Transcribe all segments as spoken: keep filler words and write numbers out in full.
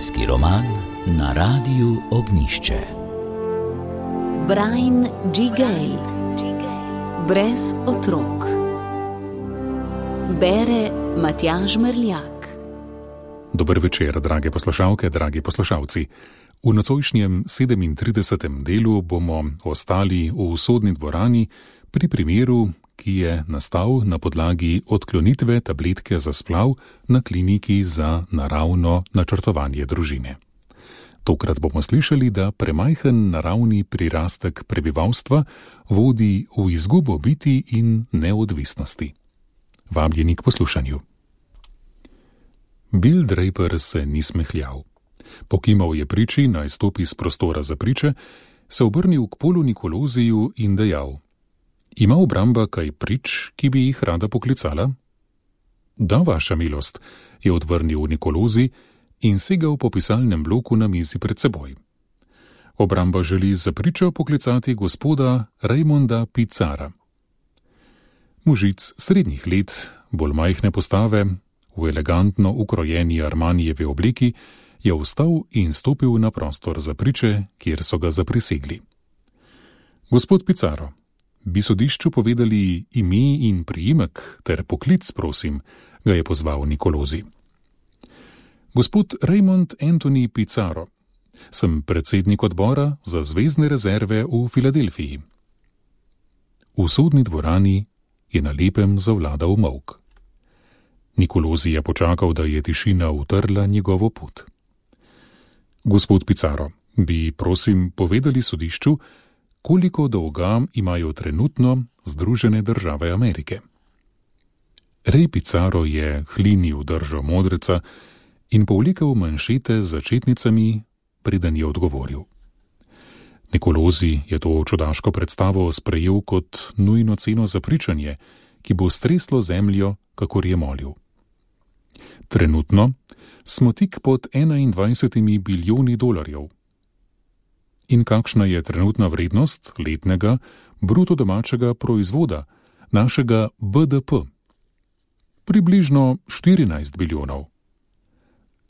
Zimski roman na Radiu Ognjišče. Brian G. Gale. Brez otrok. Bere Matjaž Merljak. Dober večer, drage poslušalke, dragi poslušalci. V nocojšnjem sedemintridesetem delu bomo ostali v sodni dvorani pri primeru, ki je nastal na podlagi odklonitve tabletke za splav na kliniki za naravno načrtovanje družine. Tokrat bomo slišali, da premajhen naravni prirastek prebivalstva vodi v izgubo biti in neodvisnosti. Vabljeni k poslušanju. Bill Draper se ni smehljal. Pokimal je priči, naj stopi z prostora za priče, se obrnil k Polu Nikoloziju in dejal: Ima obramba kaj prič, ki bi jih rada poklicala? Da, vaša milost, je odvrnil Nikolozi in segal po pisalnem bloku na mizi pred seboj. Obramba želi za pričo poklicati gospoda Raymonda Pizzara. Mužic srednjih let, bolj majhne postave, v elegantno ukrojeni Armanijevi obleki, je vstal in stopil na prostor za priče, kjer so ga zaprisegli. Gospod Pizzaro, bi sodišču povedali ime in priimek ter poklic, prosim, ga je pozval Nikolozi. Gospod Raymond Anthony Pizzaro, sem predsednik odbora za zvezdne rezerve v Filadelfiji. V sodni dvorani je na lepem zavladal molk. Nikolozi je počakal, da je tišina utrla njegovo pot. Gospod Pizzaro, bi prosim povedali sodišču, koliko dolga imajo trenutno Združene države Amerike. Ray Pizzaro je hlinil držo modreca in povlekel manšete z začetnicami, preden je odgovoril. Nikolozi je to čudaško predstavo sprejel kot nujno ceno za pričanje, ki bo streslo zemljo, kakor je molil. Trenutno smo tik pod enaindvajsetimi bilijoni dolarjev. In kakšna je trenutna vrednost letnega bruto domačega proizvoda, našega B D P? Približno štirinajst bilijonov.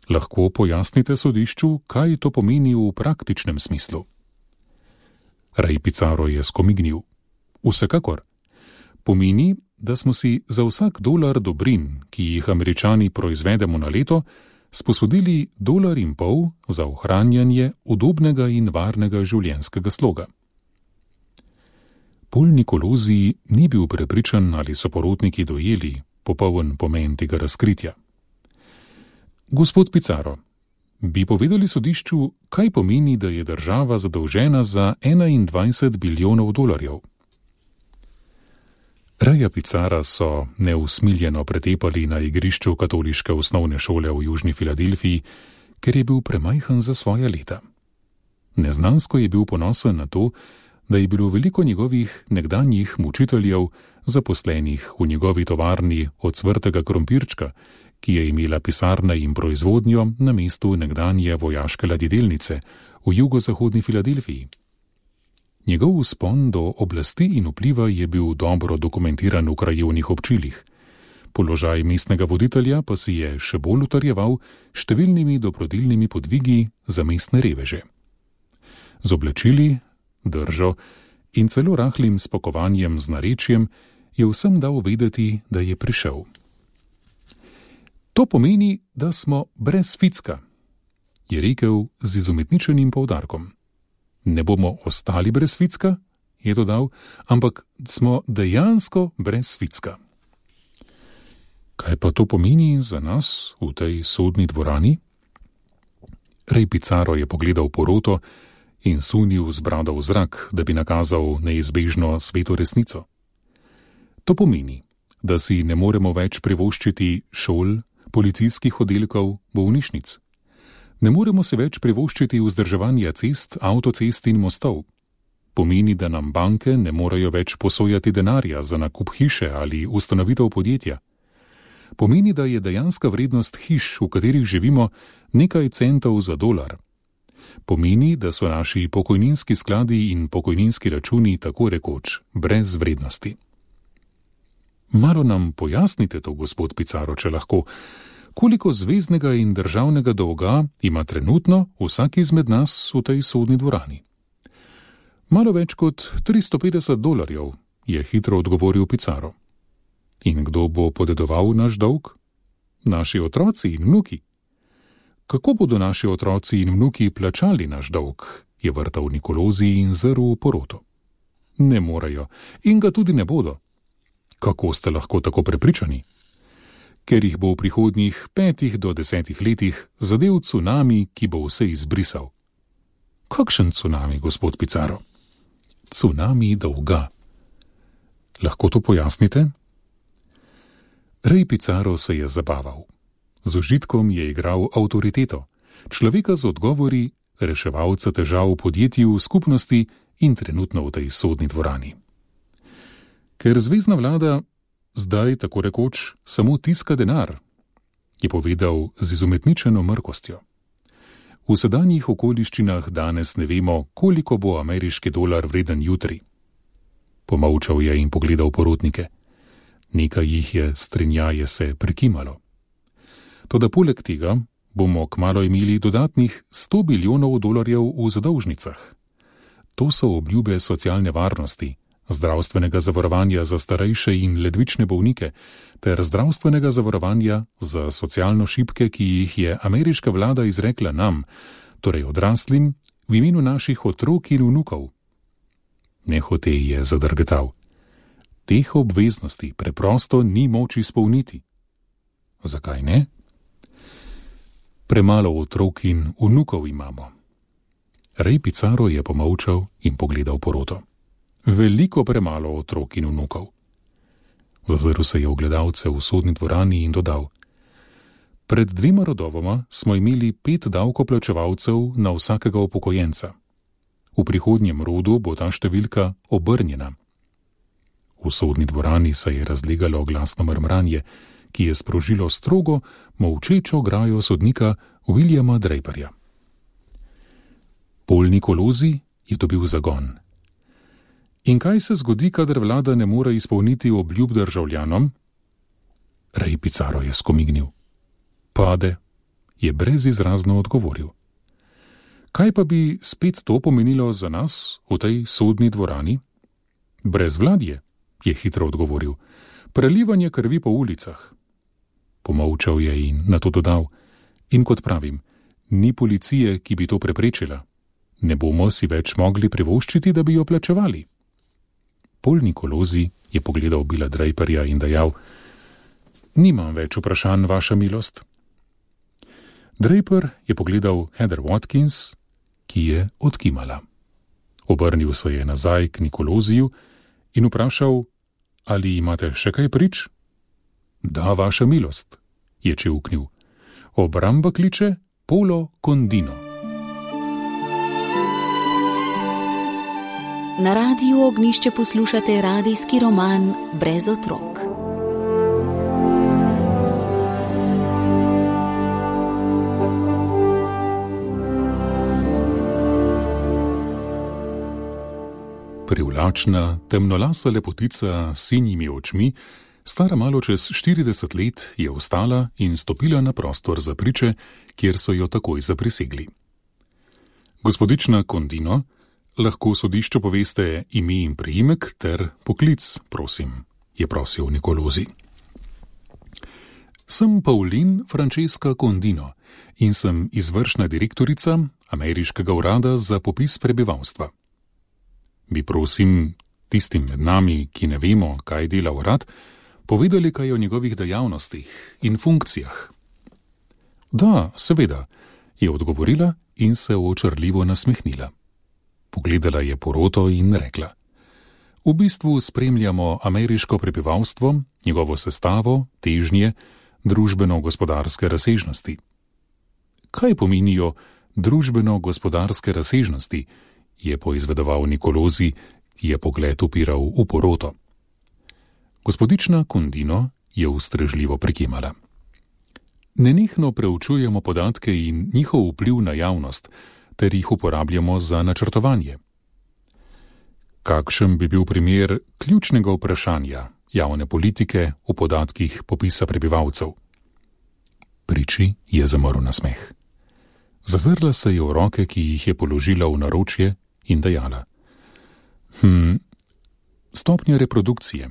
Lahko pojasnite sodišču, kaj to pomeni v praktičnem smislu? Ray Pizzaro je skomignil. Vsekakor. Pomeni, da smo si za vsak dolar dobrin, ki jih Američani proizvedemo na leto, sposodili dolar in pol za ohranjanje udobnega in varnega življenjskega sloga. Pol Nikolozi ni bil prepričan, ali so porotniki dojeli popoln pomen tega razkritja. Gospod Pizzaro, bi povedali sodišču, kaj pomeni, da je država zadolžena za enaindvajset bilijonov dolarjev? Raya Pizzara so neusmiljeno pretepali na igrišču katoliške osnovne šole v južni Filadelfiji, ker je bil premajhen za svoja leta. Neznansko je bil ponosen na to, da je bilo veliko njegovih nekdanjih mučiteljev zaposlenih v njegovi tovarni od cvrtega krompirčka, ki je imela pisarne in proizvodnjo na mestu nekdanje vojaške ladjedelnice v jugozahodni Filadelfiji. Njegov vzpon do oblasti in vpliva je bil dobro dokumentiran v krajevnih občilih. Položaj mestnega voditelja pa si je še bolj utrjeval številnimi dobrodilnimi podvigi za mestne reveže. Z oblačili, držo in celo rahlim spokovanjem z narečjem je vsem dal vedeti, da je prišel. To pomeni, da smo brez ficka, je rekel z izumetničenim poudarkom. Ne bomo ostali brez ficka, je dodal, ampak smo dejansko brez ficka. Kaj pa to pomeni za nas v tej sodni dvorani? Ray Pizzaro je pogledal poroto in sunil z brado v zrak, da bi nakazal neizbežno sveto resnico. To pomeni, da si ne moremo več privoščiti šol, policijskih oddelkov, bolnišnic. Ne moremo se več privoščiti vzdrževanja cest, avtocest in mostov. Pomeni, da nam banke ne morejo več posojati denarja za nakup hiše ali ustanovitev podjetja. Pomeni, da je dejanska vrednost hiš, v katerih živimo, nekaj centov za dolar. Pomeni, da so naši pokojninski skladi in pokojninski računi tako rekoč brez vrednosti. Malo nam pojasnite to, gospod Pizzaro, če lahko. Koliko zveznega in državnega dolga ima trenutno vsak izmed nas v tej sodni dvorani? Malo več kot tristo petdeset dolarjev, je hitro odgovoril Pizarro. In kdo bo podedoval naš dolg? Naši otroci in vnuki. Kako bodo naši otroci in vnuki plačali naš dolg, je vrtal Nicolosi in zrl v poroto. Ne morejo in ga tudi ne bodo. Kako ste lahko tako prepričani? Ker jih bo v prihodnjih petih do desetih letih zadel cunami, ki bo vse izbrisal. Kakšen cunami, gospod Pizarro? Cunami dolga. Lahko to pojasnite? Rej Pizarro se je zabaval. Z užitkom je igral avtoriteto, človeka z odgovori, reševalca težav v podjetju, v skupnosti in trenutno v tej sodni dvorani. Ker zvezna vlada zdaj, tako rekoč, samo tiska denar, je povedal z izumetničeno mrkostjo. V sedanjih okoliščinah danes ne vemo, koliko bo ameriški dolar vreden jutri. Pomolčal je in pogledal porotnike. Nekaj jih je strinjaje se prekimalo. Toda poleg tega bomo kmalu imeli dodatnih sto bilijonov dolarjev v zadolžnicah. To so obljube socialne varnosti, zdravstvenega zavarovanja za starejše in ledvične bolnike ter zdravstvenega zavarovanja za socialno šibke, ki jih je ameriška vlada izrekla nam, torej odraslim, v imenu naših otrok in vnukov. Nehote je zadrgetal. Teh obveznosti preprosto ni moč izpolniti. Zakaj ne? Premalo otrok in vnukov imamo. Rej Pizarro je pomolčal in pogledal poroto. Veliko premalo otrok in vnukov. Zazrl se je v gledalce v sodni dvorani in dodal. Pred dvema rodovoma smo imeli pet davkoplačevalcev na vsakega upokojenca. V prihodnjem rodu bo ta številka obrnjena. V sodni dvorani se je razlegalo glasno mrmranje, ki je sprožilo strogo, molčečo grajo sodnika Williama Draperja. Paul Nicolosi je dobil zagon. In kaj se zgodi, kadar vlada ne more izpolniti obljub državljanom? Rej Pizarro je skomignil. Pade, je brezizrazno odgovoril. Kaj pa bi spet to pomenilo za nas v tej sodni dvorani? Brezvladje, je hitro odgovoril. Prelivanje krvi po ulicah. Pomolčal je in nato dodal. In kot pravim, ni policije, ki bi to preprečila. Ne bomo si več mogli privoščiti, da bi jo plačevali. Paul Nicolosi je pogledal Billa Draperja in dejal, nimam več vprašanj, vaša milost. Draper je pogledal Heather Watkins, ki je odkimala. Obrnil se je nazaj k Nicolosiju in vprašal, ali imate še kaj prič? Da, vaša milost, je čivknil. Obramba kliče Polo Condino. Na Radiu Ognjišče poslušate radijski roman Brez otrok. Privlačna, temnolasa lepotica s sinjimi očmi, stara malo čez štirideset let, je vstala in stopila na prostor za priče, kjer so jo takoj zaprisegli. Gospodična Condino, lahko sodišču poveste ime in priimek ter poklic, prosim, je prosil Nicolosi. Sem Pauline Francesca Condino in sem izvršna direktorica Ameriškega urada za popis prebivalstva. Bi prosim tistim med nami, ki ne vemo, kaj dela urad, povedali kaj o njegovih dejavnostih in funkcijah. Da, seveda, je odgovorila in se očarljivo nasmehnila. Pogledala je poroto in rekla. V bistvu spremljamo ameriško prebivalstvo, njegovo sestavo, težnje, družbeno-gospodarske razsežnosti. Kaj pomenijo družbeno-gospodarske razsežnosti, je poizvedoval Nicolosi, ki je pogled upiral v poroto. Gospodična Condino je ustrežljivo prikimala. Nenehno preučujemo podatke in njihov vpliv na javnost, ter jih uporabljamo za načrtovanje. Kakšen bi bil primer ključnega vprašanja javne politike v podatkih popisa prebivalcev? Priči je zamrl nasmeh. Zazrla se je v roke, ki jih je položila v naročje, in dejala: Hm, stopnja reprodukcije.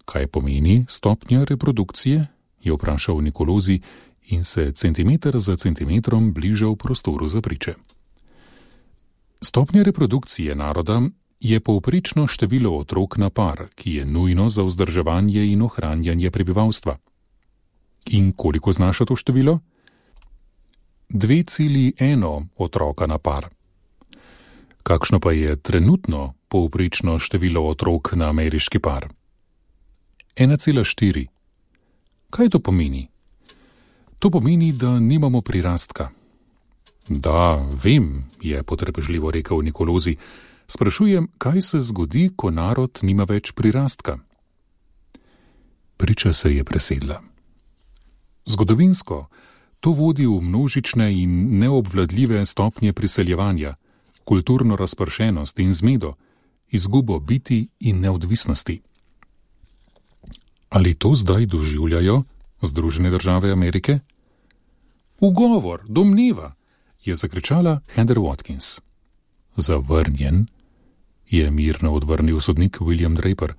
Kaj pomeni stopnja reprodukcije? Je vprašal Nikolozi in se centimeter za centimetrom bližal prostoru za priče. Stopnja reprodukcije naroda je povprečno število otrok na par, ki je nujno za vzdrževanje in ohranjanje prebivalstva. In koliko znaša to število? dve cela ena otroka na par. Kakšno pa je trenutno povprečno število otrok na ameriški par? ena cela štiri. Kaj to pomeni? To pomeni, da nimamo prirastka. Da, vem, je potrpežljivo rekel Nikolozi. Sprašujem, kaj se zgodi, ko narod nima več prirastka? Priča se je presedla. Zgodovinsko to vodi v množične in neobvladljive stopnje priseljevanja, kulturno razpršenost in zmedo, izgubo biti in neodvisnosti. Ali to zdaj doživljajo Združene države Amerike? Ugovor, domneva, je zakričala Heather Watkins. Zavrnjen, je mirno odvrnil sodnik William Draper.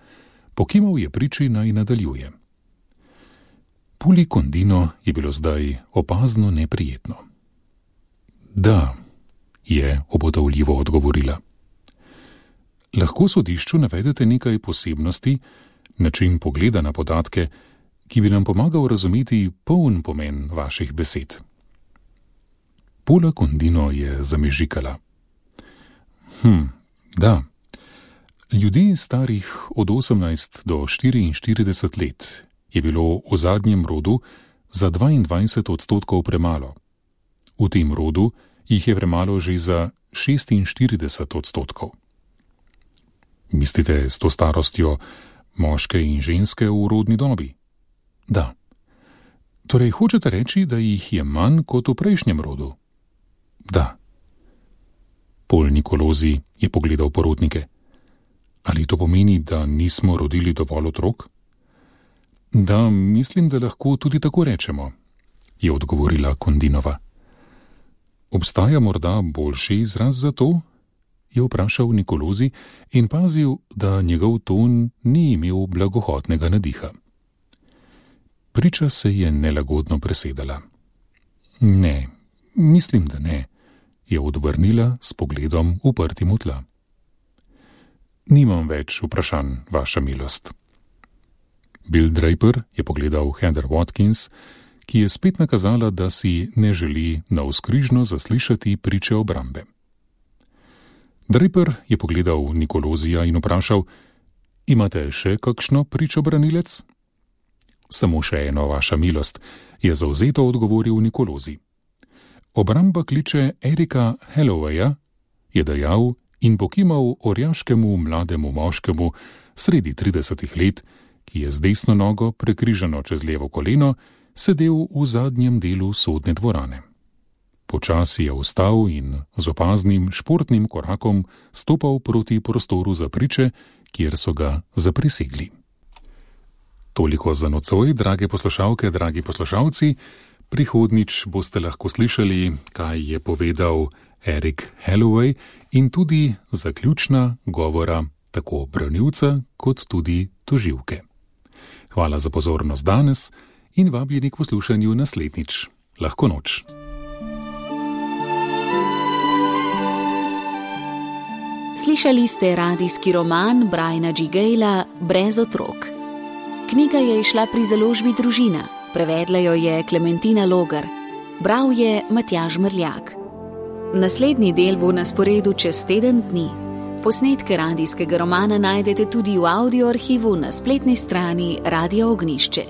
Pokimal je priči, naj nadaljuje. Puli Condino je bilo zdaj opazno neprijetno. Da, je obotavljivo odgovorila. Lahko sodišču navedete nekaj posebnosti, način pogleda na podatke, ki bi nam pomagal razumeti poln pomen vaših besed. Pula Condino je zamežikala. Hm, da. Ljudi starih od osemnajst do štiriinštirideset let je bilo v zadnjem rodu za dvaindvajset odstotkov premalo. V tem rodu jih je premalo že za šestinštirideset odstotkov. Mislite s to starostjo moške in ženske v rodni dobi? Da. Torej hočete reči, da jih je manj kot v prejšnjem rodu? Da. Pol Nikolozi je pogledal porotnike. Ali to pomeni, da nismo rodili dovolj otrok? Da, mislim, da lahko tudi tako rečemo, je odgovorila Condinova. Obstaja morda boljši izraz za to? Je vprašal Nikolozi in pazil, da njegov ton ni imel blagohotnega nadiha. Priča se je nelagodno presedala. Ne, mislim, da ne, je odvrnila s pogledom uprtim v tla. Nimam več vprašanj, vaša milost. Bill Draper je pogledal Heather Watkins, ki je spet nakazala, da si ne želi navzkrižno zaslišati priče obrambe. Draper je pogledal Nikolozija in vprašal: Imate še kakšno pričobranilec? Samo še eno, vaša milost, je zavzeto odgovoril Nikolozi. Obramba kliče Erika Hallowaya, je dejal in pokimal orjaškemu mlademu moškemu sredi tridesetih let, ki je z desno nogo prekrižano čez levo koleno sedel v zadnjem delu sodne dvorane. Počasi je vstal in z opaznim športnim korakom stopal proti prostoru za priče, kjer so ga zaprisegli. Toliko za nocoj, drage poslušalke, dragi poslušalci. Prihodnič boste lahko slišali, kaj je povedal Erik Halloway in tudi zaključna govora tako branilca kot tudi tožilke. Hvala za pozornost danes in vabljeni k poslušanju naslednjič. Lahko noč. Slišali ste radijski roman Briana G. Gayla Brez otrok. Knjiga je izšla pri založbi Družina, prevedla jo je Klementina Logar, bral je Matjaž Mrljak. Naslednji del bo na sporedu čez teden dni. Posnetke radijskega romana najdete tudi v audio arhivu na spletni strani Radia Ognjišče.